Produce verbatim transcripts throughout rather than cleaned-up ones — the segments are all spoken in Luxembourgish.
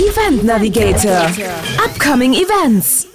Event Navigator, Upcoming Events.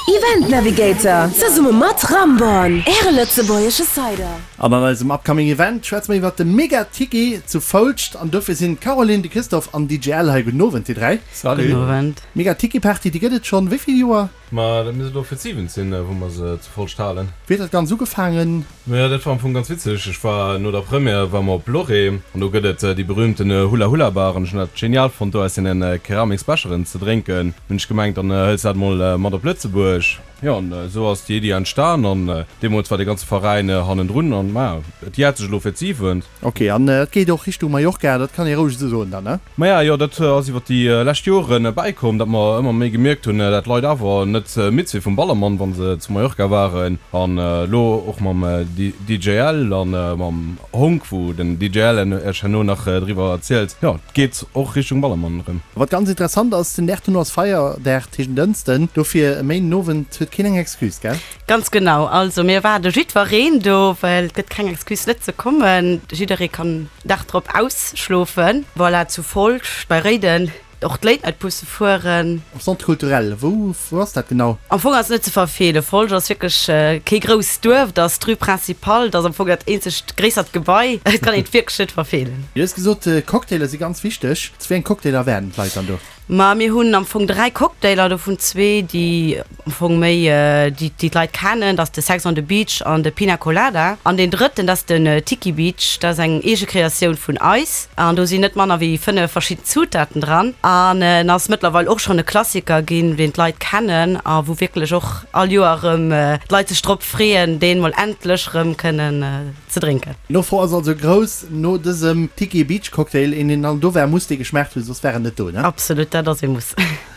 Event Navigator, zesumme mat Ramborn, äre lëtzebuergesche Cider. An an eisem Upcoming Event schwätze mer iwwert de Mega Tiki zu Foulscht an dofir sinn d'Caroline, de Christophe an D J L hei. Gudden Owend dir dräi. Salut. Gudden Owend. Mega Tiki Party, déi gëtt et schonn wéi vill Joer? Ma dat misst elo fir d'siwent sinn, wou mer se zu Foulscht halen. Wéi huet dat Ganzt ugefaangen? Maja, dat war am Fong ganz witzeg. Ech war no der Première war mer op Loré an do gëtt et déi berühmten Hula Hula Bar an ech hunn dat genial fonnt do aus deene Keramiksbecheren ze drénken. Hunn ech gemengt, dann hëls dat mol mat op Lëtzebuerg. Jo, an esou ass déi Iddi entstan an deemools war de ganze Veräin hannendrun an maja, et jäert sech elo fir d'siwent. Ok, an et geet och Richtung Mallorca, dat kann ee roueg esou soen dann, ne? Maja, jo, dat ass iwwer déi lescht Joren bäikomm, datt mer ëmmer méi gemierkt hunn, dat d'Leit awer net midd si vum Ballermann, wa se zu Mallorca waren. An elo och mam D J L an mam Honk, wou den D J L iech herno nach driwwer erzielt, jo, et geet och Richtung Ballermann erëm. Wat ganz interessant ass, den Dag dono ass Feierdag, dat heescht en Dënschden, dofir e Méinden Owend huet keen eng Excuse, gell? Ganz genau, also mir erwaarde jiddwereen do, well et gëtt keng Excuse net ze kommen. Jidderee kann Dag drop ausschlofen. Voilà, zu Folscht bei Réiden och d'Late Night Busse fueren. Am Centre culturel, wou, wou ass dat genau? Am Fong ass et net ze verfeelen. Folscht ass wierklech kee grousst Duerf, dat ass d'Rue Principale, dat ass am Fong dat eenzegt gréissert Gebai. Et kann een et wierklech net verfeelen. Du hues gesot, Cocktailer si ganz wichteg. Zu wéi eng Cocktailer wäerten d'Leit dann do? Ma mir hunn am Fong dräi Cocktailer, dovun zwee, déi am Fong méi déi déi d'Leit kennen, dat ass de Sex on the Beach an de Pina Colada. An deen drëtten, dat ass den Tiki Beach, dat ass eng eege Kreatioun vun eis. An do sinn net manner wéi fënnef verschidden Zutaten dran. An en ass mëttlerweil och schonn e Klassiker ginn, deen d'Leit kennen a wou wierklech och all Joer erëm d'Leit sech drop freeën, deen mol endlech erëm kënnen ze drénken. D'Nofro ass also grouss no dësem Tiki Beach Cocktail, een deen dann do war, muss dee geschmaacht hunn, soss war en net do, ne? Absolut, dat ass ee Muss.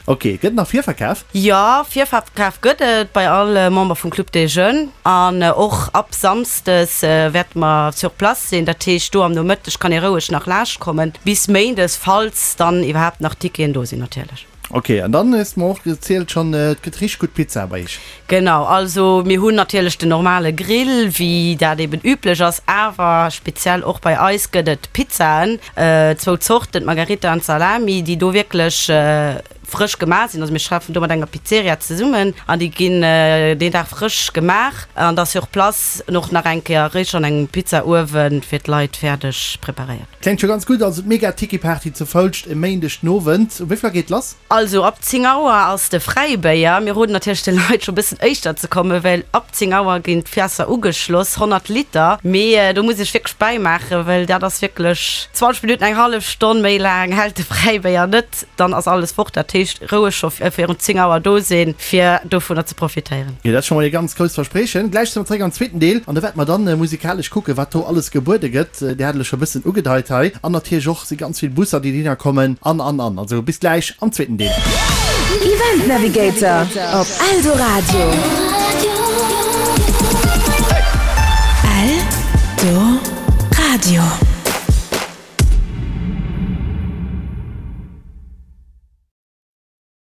Ok, gëtt et nach Virverkaf? Jo, Virverkaf gëtt et bei all Member vum Club des Jeunes an och ab Samsdes wäerte mer sur place sinn. Dat heescht, do am Nomëtteg kann ee roueg nach laascht kommen, bis Méindes, falls dann iwwerhaapt nach Ticketen do sinn natierlech. Ok, an dann hues de mer och gezielt schonn, et gëtt richteg gutt Pizza bei iech. Genau, also mir hunn natierlech den normale Grill, wéi dat eben üblech ass, awer speziell och bei eis gëtt et Pizzaen, zwou Zorten, d'Margherita an d'Salami, déi do wierklech frësch gemaach sinn. Also mir schaffen do mat enger Pizzeria zesummen an déi ginn deen Dag frësch gemaach an da sur place och nach eng Kéier réischt an engem Pizzauewen fir d'Leit fäerdeg preparéiert. Kléngt scho ganz gutt, also d'Mega Tiki Party zu Foulscht e Méindeg den Owend. Um wéi vill Auer geet lass? Also ab zéng Auer ass de Fräibéier. Mir roden natierlech de Leit scho bëssen éischter ze kommen, well ab zéng Auer ginn d'Fässer ugeschloss, honnert Liter. Mee do muss ech wierklech bäimaachen, well dat ass wierklech zwanzeg Minutten, eng hallef Stonn, méi laang hält de Fräibéier net, dann ass alles fort. Dat heescht roueg scho virun zéng Auer do sinn, fir dovunner ze profitéieren. Jo, dat ass scho mol ee ganz grousst Verspriechen. Gläich si mer zeréck am zweeten Deel an do wäerte mer dann musikalesch kucken, wat do alles gebuede gëtt. Dir hat et elo scho e bëssen ugedeit hei. An natierlech och si ganz vill Busser, déi dohinner kommen an, an, an. Also bis gläich am zweeten Deel. Event Navigator op Eldoradio.